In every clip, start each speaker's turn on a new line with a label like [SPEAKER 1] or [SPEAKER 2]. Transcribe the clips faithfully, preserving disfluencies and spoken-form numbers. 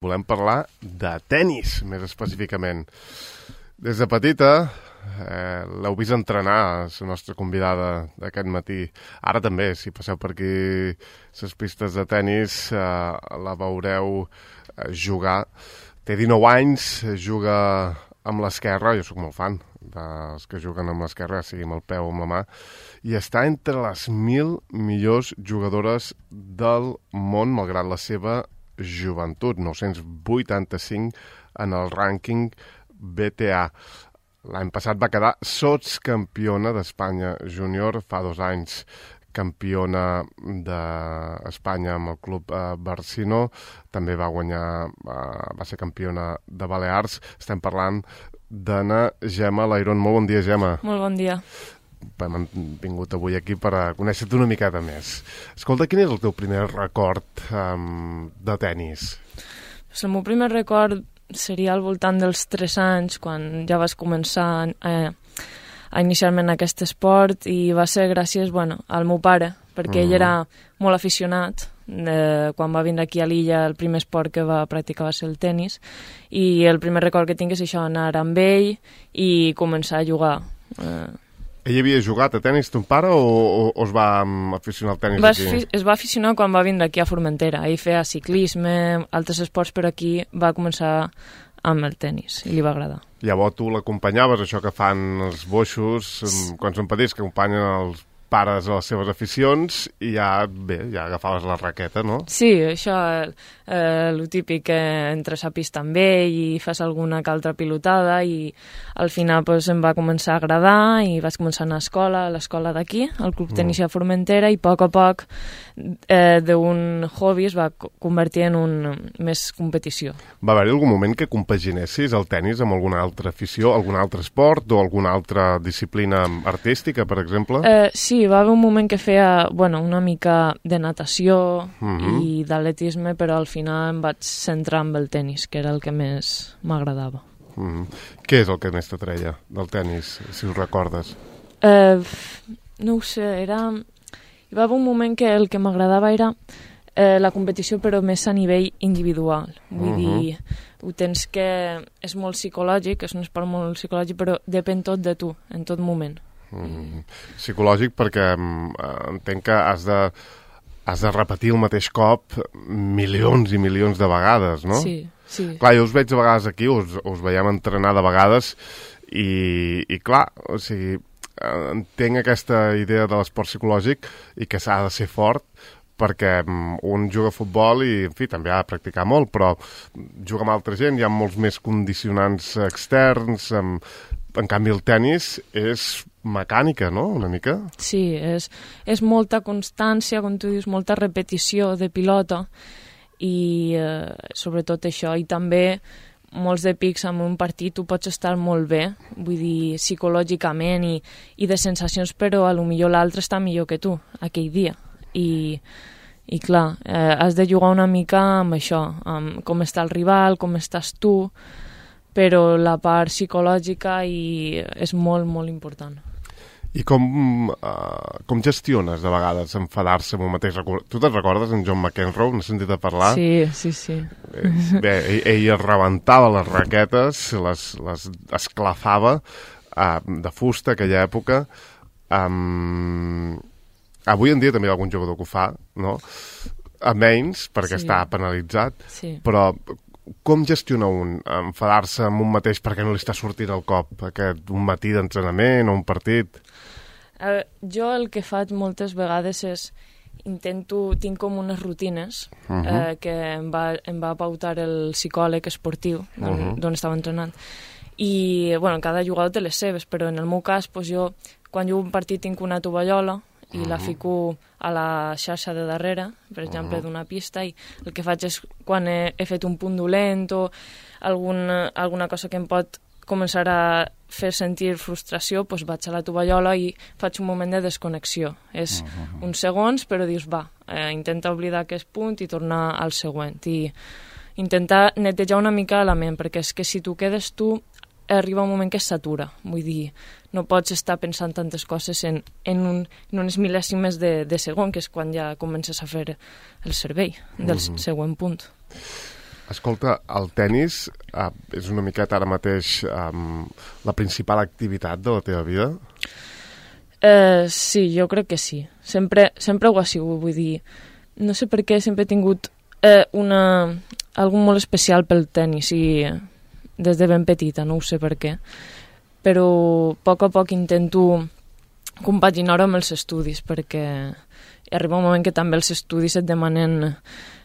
[SPEAKER 1] Volem parlar de tennis, més específicament. Des de petita eh, l'heu vist entrenar, és la nostra convidada d'aquest matí. Ara també, si passeu per aquí les pistes de tennis, eh, la veureu eh, jugar. Té dinou anys, juga amb l'esquerra, jo sóc molt fan dels que juguen amb l'esquerra, sigui amb el peu o amb la mà, i està entre les mil millors jugadores del món, malgrat la seva joventut, nou-cents vuitanta-cinc en el rànquing B T A. L'any passat va quedar sotscampiona d'Espanya júnior, fa dos anys campiona d'Espanya amb el club eh, Barcino, també va guanyar, eh, va ser campiona de Balears. Estem parlant d'Anna Gemma Layron. Molt bon dia, Gemma.
[SPEAKER 2] Molt bon dia.
[SPEAKER 1] Hem vingut avui aquí per a conèixer-te una miqueta més. Escolta, quin és el teu primer record um, de tennis?
[SPEAKER 2] Pues el meu primer record seria al voltant dels tres anys, quan ja vas començar a, a iniciar-me en aquest esport, i va ser gràcies bueno, al meu pare, perquè mm. ell era molt aficionat. Eh, quan va vindre aquí a l'illa, el primer esport que va practicar va ser el tennis, i el primer record que tinc és això, anar amb ell i començar a jugar. Eh,
[SPEAKER 1] Ell havia jugat a tennis, ton pare, o, o, o es va aficionar al tennis
[SPEAKER 2] va
[SPEAKER 1] aquí?
[SPEAKER 2] Fi, es va aficionar quan va vindre aquí a Formentera. Ell feia ciclisme, altres esports, però aquí va començar amb el tennis i li va agradar.
[SPEAKER 1] Llavors tu l'acompanyaves, això que fan els boixos, quan són petits, que acompanyen els pares a les seves aficions, i ja, bé, ja agafaves la raqueta, no?
[SPEAKER 2] Sí, això, eh, el típic que entres a pista amb ell i fas alguna que altra pilotada, i al final pues, em va començar a agradar i vaig començar a anar a escola, a l'escola d'aquí, al Club Tenis de Formentera, i a poc a poc eh, d'un hobby es va convertir en un més competició.
[SPEAKER 1] Va haver-hi algun moment que compaginessis el tennis amb alguna altra afició, algun altre esport o alguna altra disciplina artística, per exemple?
[SPEAKER 2] Eh, sí, hi va haver un moment que feia bueno, una mica de natació
[SPEAKER 1] uh-huh.
[SPEAKER 2] i d'atletisme, però al final em vaig centrar en el tennis, que era el que més m'agradava.
[SPEAKER 1] Uh-huh. Què és el que més t'atreia del tennis, si ho recordes?
[SPEAKER 2] Eh, no ho sé, era... Hi va haver un moment que el que m'agradava era eh, la competició, però més a nivell individual. Vull uh-huh. dir, ho tens que... És molt psicològic, és un esport molt psicològic, però depèn tot de tu, en tot moment.
[SPEAKER 1] Mm. Psicològic perquè mm, entenc que has de, has de repetir el mateix cop milions i milions de vegades, no?
[SPEAKER 2] Sí, sí.
[SPEAKER 1] Clar, jo us veig de vegades aquí, us, us veiem entrenar de vegades i, i clar, o sigui, entenc aquesta idea de l'esport psicològic i que s'ha de ser fort, perquè un juga a futbol i, en fi, també ha de practicar molt, però juga amb altra gent, hi ha molts més condicionants externs, amb... En canvi, el tennis és mecànica, no?, una mica?
[SPEAKER 2] Sí, és, és molta constància, com tu dius, molta repetició de pilota i eh, sobretot això. I també molts de pics en un partit tu pots estar molt bé, vull dir, psicològicament i, i de sensacions, però a lo millor l'altre està millor que tu aquell dia. I, i clar, eh, has de jugar una mica amb això, amb com està el rival, com estàs tu, però la part psicològica i és molt, molt important.
[SPEAKER 1] I com, uh, com gestiones de vegades enfadar-se amb un mateix record? Tu te'n recordes en John McEnroe? N'has sentit a parlar?
[SPEAKER 2] Sí, sí, sí.
[SPEAKER 1] Eh, bé, ell, ell rebentava les raquetes, les, les esclafava uh, de fusta aquella època. Um, avui en dia també hi ha algun jugador que ho fa, no? A menys, perquè sí. Està penalitzat,
[SPEAKER 2] sí.
[SPEAKER 1] Però... Com gestiona un enfadar-se amb un mateix perquè no li està sortint el cop? Aquest, un matí d'entrenament o un partit?
[SPEAKER 2] Eh, jo el que faig moltes vegades és intento, tinc com unes rutines uh-huh. eh, que em va, em va pautar el psicòleg esportiu d'on uh-huh. estava entrenant. I, bueno, cada jugador té les seves, però en el meu cas, pues, jo, quan jugo un partit tinc una tovallola i uh-huh. la fico a la xarxa de darrere, per exemple, uh-huh. d'una pista, i el que faig és, quan he, he fet un punt dolent o alguna, alguna cosa que em pot començar a fer sentir frustració, doncs vaig a la tovallola i faig un moment de desconnexió. És uh-huh. uns segons, però dius, va, eh, intenta oblidar aquest punt i tornar al següent. I intentar netejar una mica la ment, perquè és que si tu quedes tu, arriba un moment que es satura. Vull dir, no pots estar pensant tantes coses en, en, un, en unes mil·lèsimes de, de segon, que és quan ja comences a fer el servei del uh-huh. següent punt.
[SPEAKER 1] Escolta, el tennis eh, és una miqueta ara mateix eh, la principal activitat de la teva vida?
[SPEAKER 2] Eh, sí, jo crec que sí. Sempre, sempre ho ha sigut, vull dir. No sé per què sempre he tingut eh, una, algun molt especial pel tennis i des de ben petita, no ho sé per què. Però a poc a poc intento compaginar-ho amb els estudis perquè arriba un moment que també els estudis et demanen...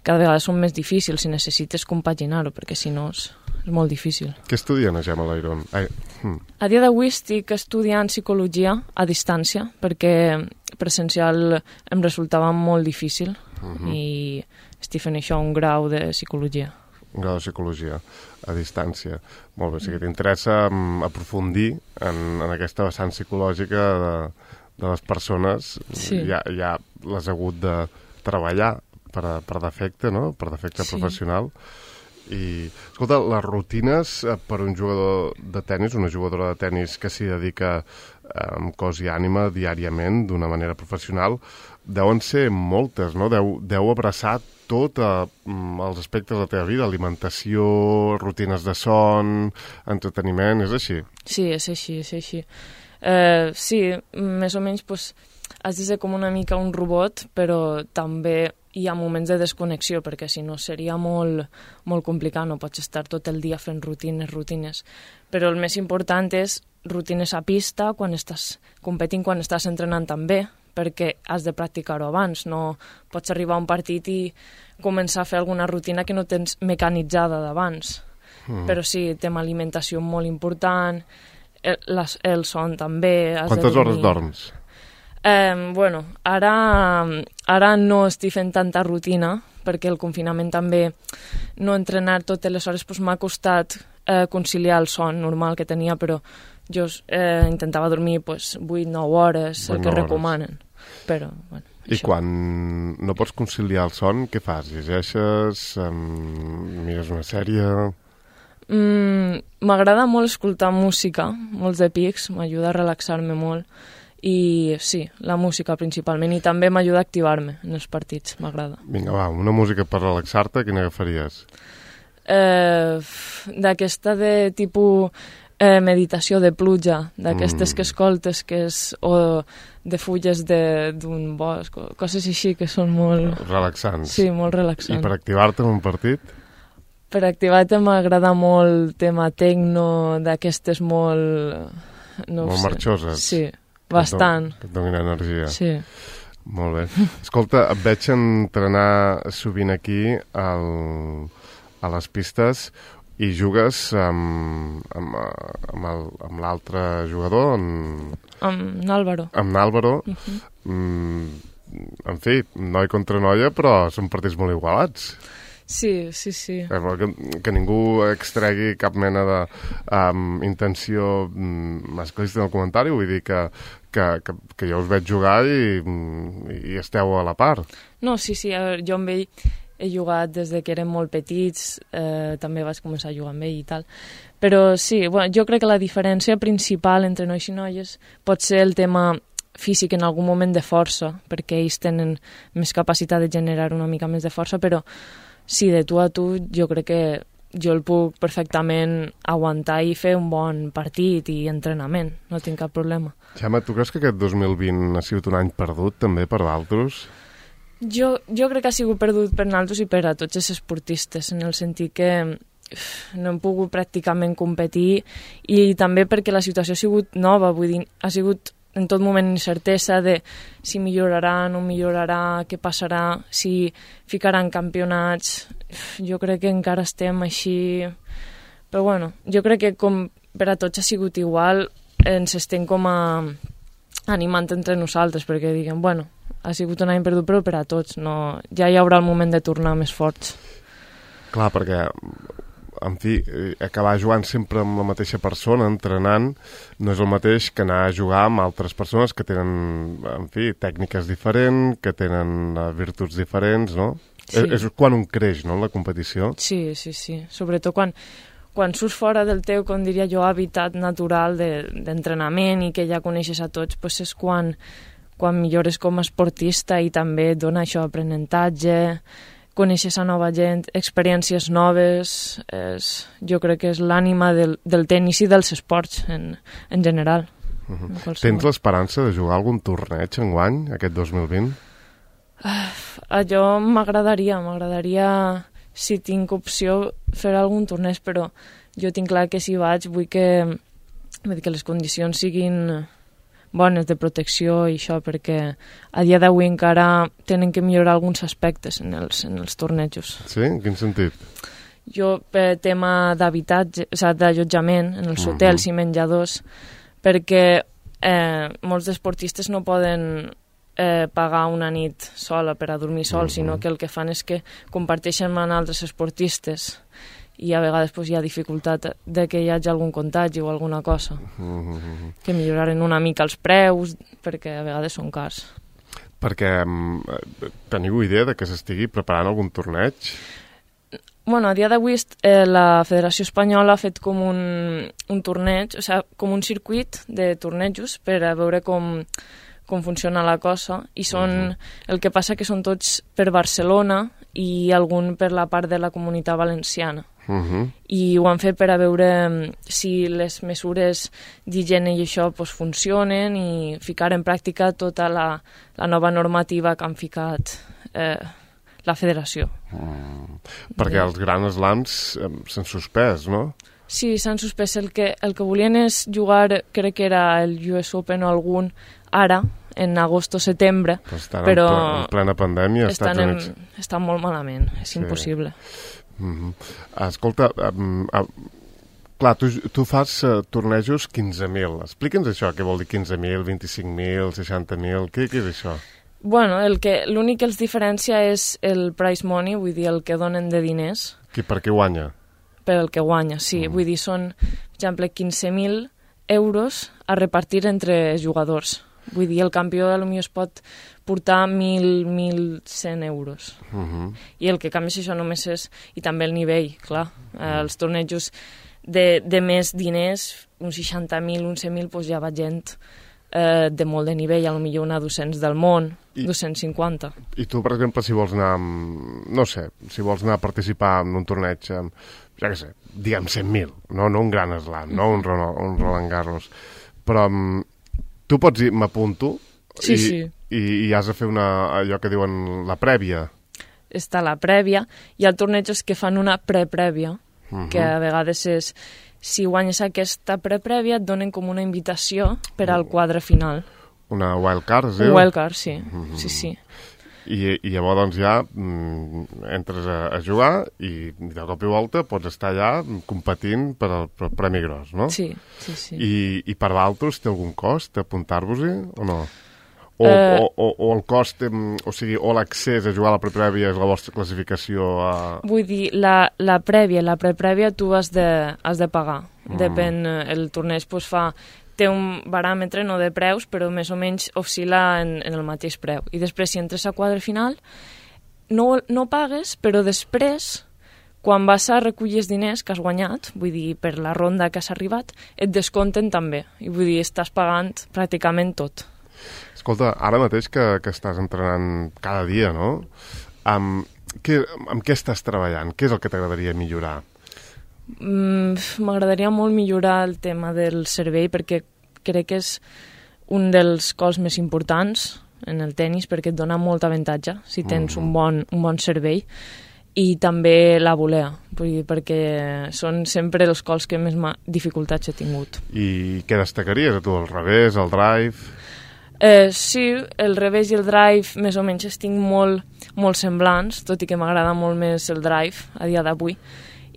[SPEAKER 2] cada vegada són més difícils si necessites compaginar-ho, perquè si no és, és molt difícil.
[SPEAKER 1] Què estudia la Gemma Lairon? Ai, hm.
[SPEAKER 2] A dia d'avui estic estudiant psicologia a distància, perquè presencial em resultava molt difícil uh -huh. i estic fent això, un grau de psicologia.
[SPEAKER 1] Un grau de psicologia a distància. Molt bé, o sigui que t'interessa um, aprofundir en, en aquesta vessant psicològica de, de les persones.
[SPEAKER 2] Sí.
[SPEAKER 1] Ja, ja l'has hagut de treballar per, a, per defecte, no? Per defecte sí. professional. I, escolta, les rutines per un jugador de tennis, una jugadora de tennis que s'hi dedica amb cos i ànima diàriament, d'una manera professional, deuen ser moltes, no? Deu, deu abraçar tot eh, els aspectes de la teva vida, alimentació, rutines de son, entreteniment, és així?
[SPEAKER 2] Sí, és així, és així. Eh, sí, més o menys, pues, has de ser com una mica un robot, però també hi ha moments de desconnexió, perquè si no seria molt, molt complicat, no pots estar tot el dia fent rutines, rutines. Però el més important és rutines a pista, quan estàs competint, quan estàs entrenant també, perquè has de practicar-ho abans, no pots arribar a un partit i començar a fer alguna rutina que no tens mecanitzada d'abans. Mm. Però sí, té una alimentació molt important, el, les, el son també... Has
[SPEAKER 1] Quantes
[SPEAKER 2] de
[SPEAKER 1] hores dorms?
[SPEAKER 2] Eh, bueno, ara, ara no estic fent tanta rutina, perquè el confinament també, no entrenar totes les hores, pues, m'ha costat eh, conciliar el son normal que tenia, però jo eh, intentava dormir pues, vuit a nou hores, el que recomanen. Però, bueno,
[SPEAKER 1] I això. Quan no pots conciliar el son, què fas? Llegeixes? Um, mires una sèrie?
[SPEAKER 2] M'agrada mm, molt escoltar música, molts de pics, m'ajuda a relaxar-me molt. I sí, la música principalment, i també m'ajuda a activar-me en els partits, m'agrada.
[SPEAKER 1] Vinga, va, una música per relaxar-te, quina agafaries?
[SPEAKER 2] Eh, d'aquesta de tipus eh, meditació de pluja, d'aquestes mm. que escoltes, que és, o de fulles d'un bosc, o coses així que són molt...
[SPEAKER 1] Relaxants.
[SPEAKER 2] Sí, molt relaxants.
[SPEAKER 1] I per activar-te en un partit?
[SPEAKER 2] Per activar-te m'agrada molt tema tecno, d'aquestes molt... No
[SPEAKER 1] molt
[SPEAKER 2] sé.
[SPEAKER 1] Marxoses.
[SPEAKER 2] Sí. Bastant.
[SPEAKER 1] Que et donin energia.
[SPEAKER 2] Sí.
[SPEAKER 1] Molt bé. Escolta, et veig entrenar sovint aquí al, a les pistes i jugues amb, amb, amb l'altre jugador, amb...
[SPEAKER 2] Amb l'Àlvaro.
[SPEAKER 1] Amb l'Àlvaro.
[SPEAKER 2] Uh-huh.
[SPEAKER 1] Mm, en fi, noi contra noia, però són partits molt igualats.
[SPEAKER 2] Sí, sí, sí.
[SPEAKER 1] Eh, que, que ningú extregui cap mena de um, intenció um, masclista en el comentari, vull dir que, que, que, que jo us veig jugar i, i esteu a la part.
[SPEAKER 2] No, sí, sí, a veure, jo amb ell he jugat des de que érem molt petits, eh, també vaig començar a jugar amb ell i tal, però sí, bueno, jo crec que la diferència principal entre nois i noies pot ser el tema físic en algun moment de força, perquè ells tenen més capacitat de generar una mica més de força, però sí, de tu a tu jo crec que jo el puc perfectament aguantar i fer un bon partit i entrenament, no tinc cap problema.
[SPEAKER 1] Gemma, tu creus que aquest dos mil vint ha sigut un any perdut també per d'altres?
[SPEAKER 2] Jo, jo crec que ha sigut perdut per nosaltres i per a tots els esportistes, en el sentit que no hem pogut pràcticament competir i també perquè la situació ha sigut nova, vull dir, ha sigut en tot moment incertesa de si millorarà, no millorarà, què passarà, si ficaran campionats. Jo crec que encara estem així... Però bueno, jo crec que com per a tots ha sigut igual, ens estem com a animant entre nosaltres, perquè diguem, bueno, ha sigut un any perdut, però per a tots, no... ja hi haurà el moment de tornar més forts.
[SPEAKER 1] Clar, perquè... en fi, acabar jugant sempre amb la mateixa persona, entrenant, no és el mateix que anar a jugar amb altres persones que tenen, en fi, tècniques diferents, que tenen virtuts diferents, no? Sí. És, és quan un creix, no?, en la competició.
[SPEAKER 2] Sí, sí, sí. Sobretot quan, quan surts fora del teu, com diria jo, hàbitat natural d'entrenament de, i que ja coneixes a tots, pues és quan, quan millores com a esportista i també et dona això, aprenentatge, conèixer a nova gent, experiències noves, és, jo crec que és l'ànima del, del tenis i dels esports en, en general.
[SPEAKER 1] Uh -huh. Tens l'esperança de jugar algun torneig enguany, aquest dos mil vint?
[SPEAKER 2] Uh, allò m'agradaria, m'agradaria, si tinc opció, fer algun torneig, però jo tinc clar que si vaig vull que, vull dir que les condicions siguin bones de protecció i això, perquè a dia d'avui encara tenen que millorar alguns aspectes en els, en els tornejos.
[SPEAKER 1] Sí? En quin sentit?
[SPEAKER 2] Jo, per tema d'habitatge, o sigui, d'allotjament en els hotels uh -huh. i menjadors, perquè eh, molts esportistes no poden eh, pagar una nit sola per a dormir sol, uh -huh. sinó que el que fan és que comparteixen amb altres esportistes i a vegades pues, hi ha dificultat de que hi hagi algun contagi o alguna cosa. Uh -huh. Que milloraren una mica els preus, perquè a vegades són cars.
[SPEAKER 1] Perquè um, teniu idea de que s'estigui preparant algun torneig?
[SPEAKER 2] Bueno, a dia d'avui eh, la Federació Espanyola ha fet com un, un torneig, o sigui, com un circuit de tornejos per a veure com, com funciona la cosa, i són, uh -huh. el que passa que són tots per Barcelona i algun per la part de la Comunitat Valenciana. Uh -huh. I ho han fet per a veure si les mesures d'higiene i això pues, funcionen i ficar en pràctica tota la, la nova normativa que han ficat eh, la federació.
[SPEAKER 1] Mm. Perquè de... els Grand Slams eh, s'han suspès, no?
[SPEAKER 2] Sí, s'han suspès. El que, el que volien és jugar, crec que era el U S Open o algun, ara, en agost o setembre,
[SPEAKER 1] però estan
[SPEAKER 2] però
[SPEAKER 1] en plena pandèmia als Estats Units.
[SPEAKER 2] En, estan molt malament, és sí. impossible.
[SPEAKER 1] Mm -hmm. Escolta, um, uh, clar, tu, tu fas uh, tornejos quinze mil. Explica'ns això, què vol dir quinze mil, vint-i-cinc mil, seixanta mil, què, què és això?
[SPEAKER 2] Bueno, el que l'únic que els diferencia és el prize money, vull dir, el que donen de diners.
[SPEAKER 1] Qui, per què guanya?
[SPEAKER 2] Per el que guanya, sí. Mm. Vull dir, són, per exemple, quinze mil euros a repartir entre jugadors. Vull dir, el campió potser es pot portar mil, mil cent euros. Uh -huh. I el que canvia això només és... I també el nivell, clar. Uh -huh. Els tornejos de, de més diners, uns seixanta mil, uns cent mil, doncs ja va gent eh, de molt de nivell, potser una dos-cents del món, I, dos-cents cinquanta.
[SPEAKER 1] I tu, per exemple, si vols anar, amb, no sé, si vols anar a participar en un torneig amb, ja què sé, diguem cent mil, no, no un gran slam, no un, un Roland Garros, però... Tu pots dir, m'apunto,
[SPEAKER 2] sí,
[SPEAKER 1] i,
[SPEAKER 2] sí.
[SPEAKER 1] i, i has de fer una, allò que diuen la prèvia.
[SPEAKER 2] Està la prèvia. Hi ha tornejos que fan una preprèvia, uh -huh. que a vegades és, si guanyes aquesta preprèvia, et donen com una invitació per al quadre final.
[SPEAKER 1] Una wildcard, es diu?
[SPEAKER 2] Un wildcard, sí. Uh -huh. sí, sí.
[SPEAKER 1] I, i llavors doncs, ja mm, entres a, a jugar i de cop i volta pots estar allà competint per al, per al Premi Gros, no?
[SPEAKER 2] Sí, sí, sí.
[SPEAKER 1] I, i per d'altres té algun cost apuntar-vos-hi o no? O,
[SPEAKER 2] uh,
[SPEAKER 1] o, o, o el cost, o sigui, o l'accés a jugar a la preprèvia és la vostra classificació a...
[SPEAKER 2] Vull dir, la, la prèvia, la preprèvia tu has de, has de pagar. Mm. Depèn, el torneig pues, fa... té un baròmetre, no de preus, però més o menys oscil·la en, en el mateix preu. I després, si entres a quadre final, no, no pagues, però després, quan vas a recollir els diners que has guanyat, vull dir, per la ronda que has arribat, et descompten també. I vull dir, estàs pagant pràcticament tot.
[SPEAKER 1] Escolta, ara mateix que, que estàs entrenant cada dia, no? Amb, què, amb què estàs treballant? Què és el que t'agradaria millorar?
[SPEAKER 2] M'agradaria molt millorar el tema del servei, perquè crec que és un dels cols més importants en el tennis, perquè et dona molt avantatge si tens mm. un, bon, un bon servei, i també la volea, vull dir, perquè són sempre els cols que més dificultats he tingut.
[SPEAKER 1] I què destacaries a tu, el revés, el drive?
[SPEAKER 2] Eh, sí, el revés i el drive més o menys estic molt, molt semblants, tot i que m'agrada molt més el drive a dia d'avui.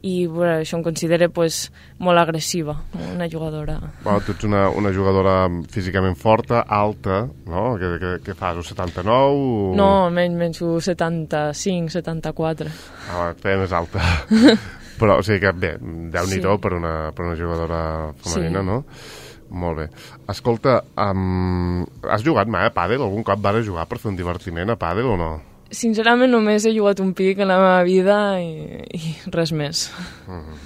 [SPEAKER 2] I bueno, això em considera pues, molt agressiva, una jugadora.
[SPEAKER 1] Bueno, tu ets una, una jugadora físicament forta, alta, no? Què, què, què fas, un setanta-nou? O...
[SPEAKER 2] No, menys, menys un setanta-cinc, setanta-quatre.
[SPEAKER 1] Ah, et feia més alta. Però, o sigui que, bé, déu-n'hi-do sí. per, una, per una jugadora femenina, sí. no? Molt bé. Escolta, um, has jugat mai a pàdel? Algun cop vas jugar per fer un divertiment a pàdel o no?
[SPEAKER 2] Sincerament, només he jugat un pic en la meva vida i, i res més.
[SPEAKER 1] Mm.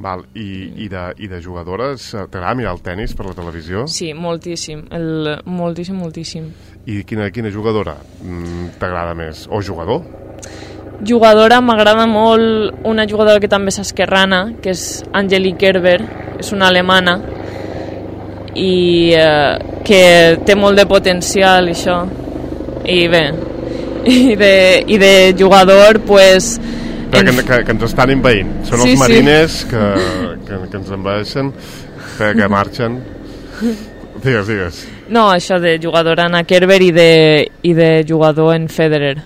[SPEAKER 1] Val. I, i, de, I de jugadores, t'agrada mirar el tennis per la televisió?
[SPEAKER 2] Sí, moltíssim. El, moltíssim, moltíssim.
[SPEAKER 1] I quina, quina jugadora t'agrada més? O jugador?
[SPEAKER 2] Jugadora, m'agrada molt una jugadora que també és esquerrana, que és Angelique Kerber, és una alemana, i eh, que té molt de potencial, això. I bé, i de, i de jugador, pues...
[SPEAKER 1] Que, en... que, que ens estan envaint. Són sí, els marines sí. que, que, que ens envaeixen, que, que marxen. Digues, digues.
[SPEAKER 2] No, això de jugador Anna Kerber i de, i de jugador en Federer.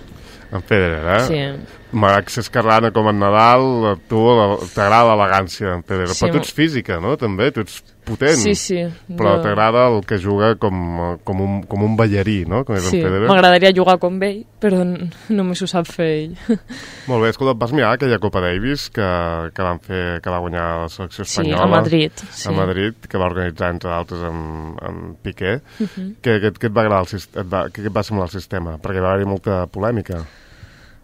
[SPEAKER 1] En Federer, eh?
[SPEAKER 2] Sí.
[SPEAKER 1] M'agrada que esquerrana com en Nadal, tu t'agrada l'elegància en Federer, sí, però tu ets física, no? També, tu ets potent,
[SPEAKER 2] sí, sí,
[SPEAKER 1] però
[SPEAKER 2] jo...
[SPEAKER 1] t'agrada el que juga com, com, un, com un ballarí, no? Com és
[SPEAKER 2] sí,
[SPEAKER 1] en Federer.
[SPEAKER 2] M'agradaria jugar com ell, però només ho sap fer ell.
[SPEAKER 1] Molt bé, escolta, vas mirar aquella Copa Davis que, que van fer, que va guanyar la selecció espanyola?
[SPEAKER 2] Sí, a Madrid. Sí.
[SPEAKER 1] A Madrid, que va organitzar, entre d'altres, amb, amb Piqué. Uh -huh. que, que, que et va agradar el sistema? Et va, que et va semblar el sistema? Perquè va haver-hi molta polèmica.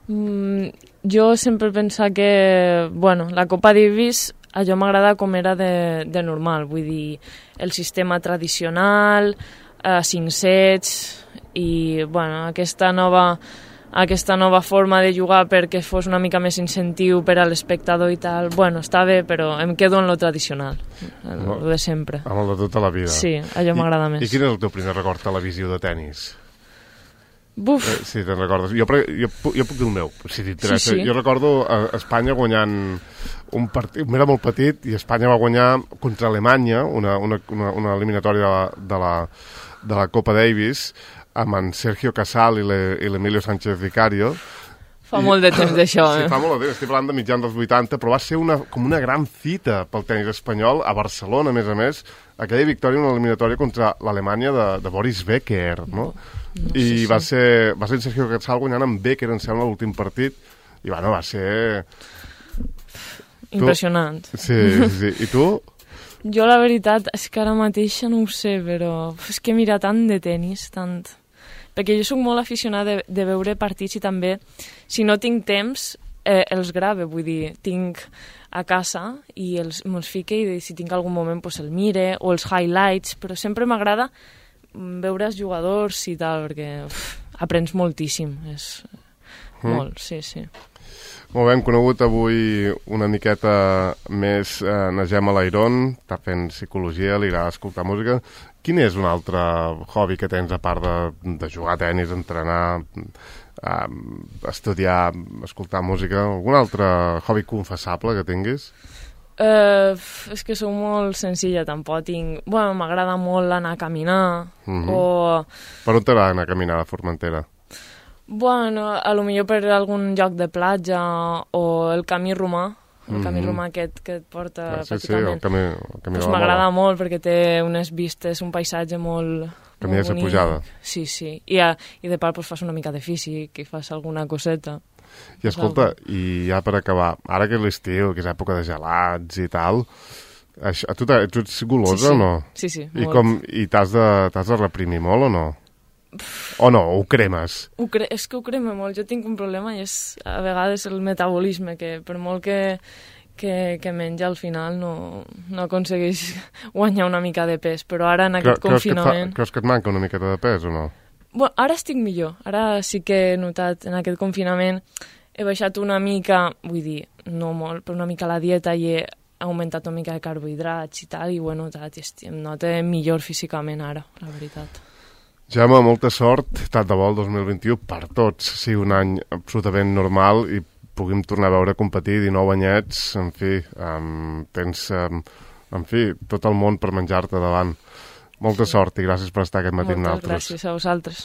[SPEAKER 2] Mm, jo sempre penso que, bueno, la Copa Davis a jo m'agrada com era de, de normal, vull dir, el sistema tradicional, eh, cinc sets, i, bueno, aquesta nova, aquesta nova forma de jugar perquè fos una mica més incentiu per a l'espectador i tal, bueno, està bé, però em quedo en lo tradicional, el,
[SPEAKER 1] no,
[SPEAKER 2] lo de sempre.
[SPEAKER 1] Amb el de tota la vida.
[SPEAKER 2] Sí, allò m'agrada més.
[SPEAKER 1] I quin és el teu primer record televisiu de tennis?
[SPEAKER 2] Buf.
[SPEAKER 1] Eh, sí, te'n recordes. Jo, jo, jo puc dir el meu, si t'interessa.
[SPEAKER 2] Sí, sí.
[SPEAKER 1] Jo recordo a Espanya guanyant un partit, era molt petit, i Espanya va guanyar contra Alemanya, una, una, una, una eliminatòria de la, de, la, de la Copa Davis, amb en Sergio Casal i l'Emilio Sánchez Vicario.
[SPEAKER 2] Fa I, molt de temps d'això, eh?
[SPEAKER 1] Sí, fa molt de temps, estic parlant de mitjans dels vuitanta, però va ser una, com una gran fita pel tenis espanyol, a Barcelona, a més a més, aquella victòria, una eliminatòria contra l'Alemanya de, de Boris Becker, no? No, I sí, va, sí. Ser, va ser en Sergio Casal guanyant amb Becker, em sembla, l'últim partit, i bueno, va ser...
[SPEAKER 2] Impressionant.
[SPEAKER 1] Tu... Sí, sí, i tu?
[SPEAKER 2] Jo la veritat és que ara mateix no ho sé, però és que mira tant de tenis, tant... Perquè jo sóc molt aficionada de, de veure partits i també, si no tinc temps, eh, els grave, vull dir, tinc a casa i els, me'ls fique i si tinc algun moment pues, el mire, o els highlights, però sempre m'agrada veure els jugadors i tal, perquè uf, aprens moltíssim, és mm. molt, sí, sí.
[SPEAKER 1] Molt bé, hem conegut avui una miqueta més eh, na Gemma Layron, està fent psicologia, li agrada escoltar música. Quin és un altre hobby que tens, a part de, de jugar a tenis, entrenar, eh, estudiar, escoltar música? Algun altre hobby confessable que tinguis?
[SPEAKER 2] Uh, és que sóc molt senzilla, tampoc tinc... Bueno, m'agrada molt anar a caminar, mm-hmm. o...
[SPEAKER 1] Per on t'agrada anar a caminar a Formentera?
[SPEAKER 2] Bueno, a lo millor per algun lloc de platja, o el camí romà, el mm-hmm. camí romà aquest que et porta
[SPEAKER 1] ah, sí,
[SPEAKER 2] pràcticament.
[SPEAKER 1] Sí, el camí, el camí
[SPEAKER 2] pues m'agrada molt perquè té unes vistes, un paisatge molt...
[SPEAKER 1] Camí de pujada.
[SPEAKER 2] Sí, sí. I, a, i de part pues, fas una mica de físic i fas alguna coseta.
[SPEAKER 1] I escolta, i ja per acabar, ara que és l'estiu, que és època de gelats i tal, això, a tu, tu ets golosa
[SPEAKER 2] sí, sí.
[SPEAKER 1] o no?
[SPEAKER 2] Sí, sí,
[SPEAKER 1] I, com, i t'has de, t'has de reprimir molt o no? O no, ho cremes?
[SPEAKER 2] Ho cre és que ho crema molt. Jo tinc un problema i és a vegades el metabolisme, que per molt que, que, que menja al final no, no aconsegueix guanyar una mica de pes, però ara en aquest
[SPEAKER 1] creus
[SPEAKER 2] confinament...
[SPEAKER 1] Que fa, creus que et manca una miqueta de pes o no?
[SPEAKER 2] Bueno, ara estic millor, ara sí que he notat en aquest confinament, he baixat una mica, vull dir, no molt, però una mica la dieta i he augmentat una mica de carbohidrats i tal, i ho he notat, i em noto millor físicament ara, la veritat.
[SPEAKER 1] Gemma, molta sort, tant de bo el dos mil vint-i-u per tots, sigui un any absolutament normal i puguem tornar a veure competir dinou anyets, en fi, um, tens, um, en fi, tot el món per menjar-te davant. Molta sort i gràcies per estar aquest matí amb nosaltres.
[SPEAKER 2] Moltes gràcies a vosaltres.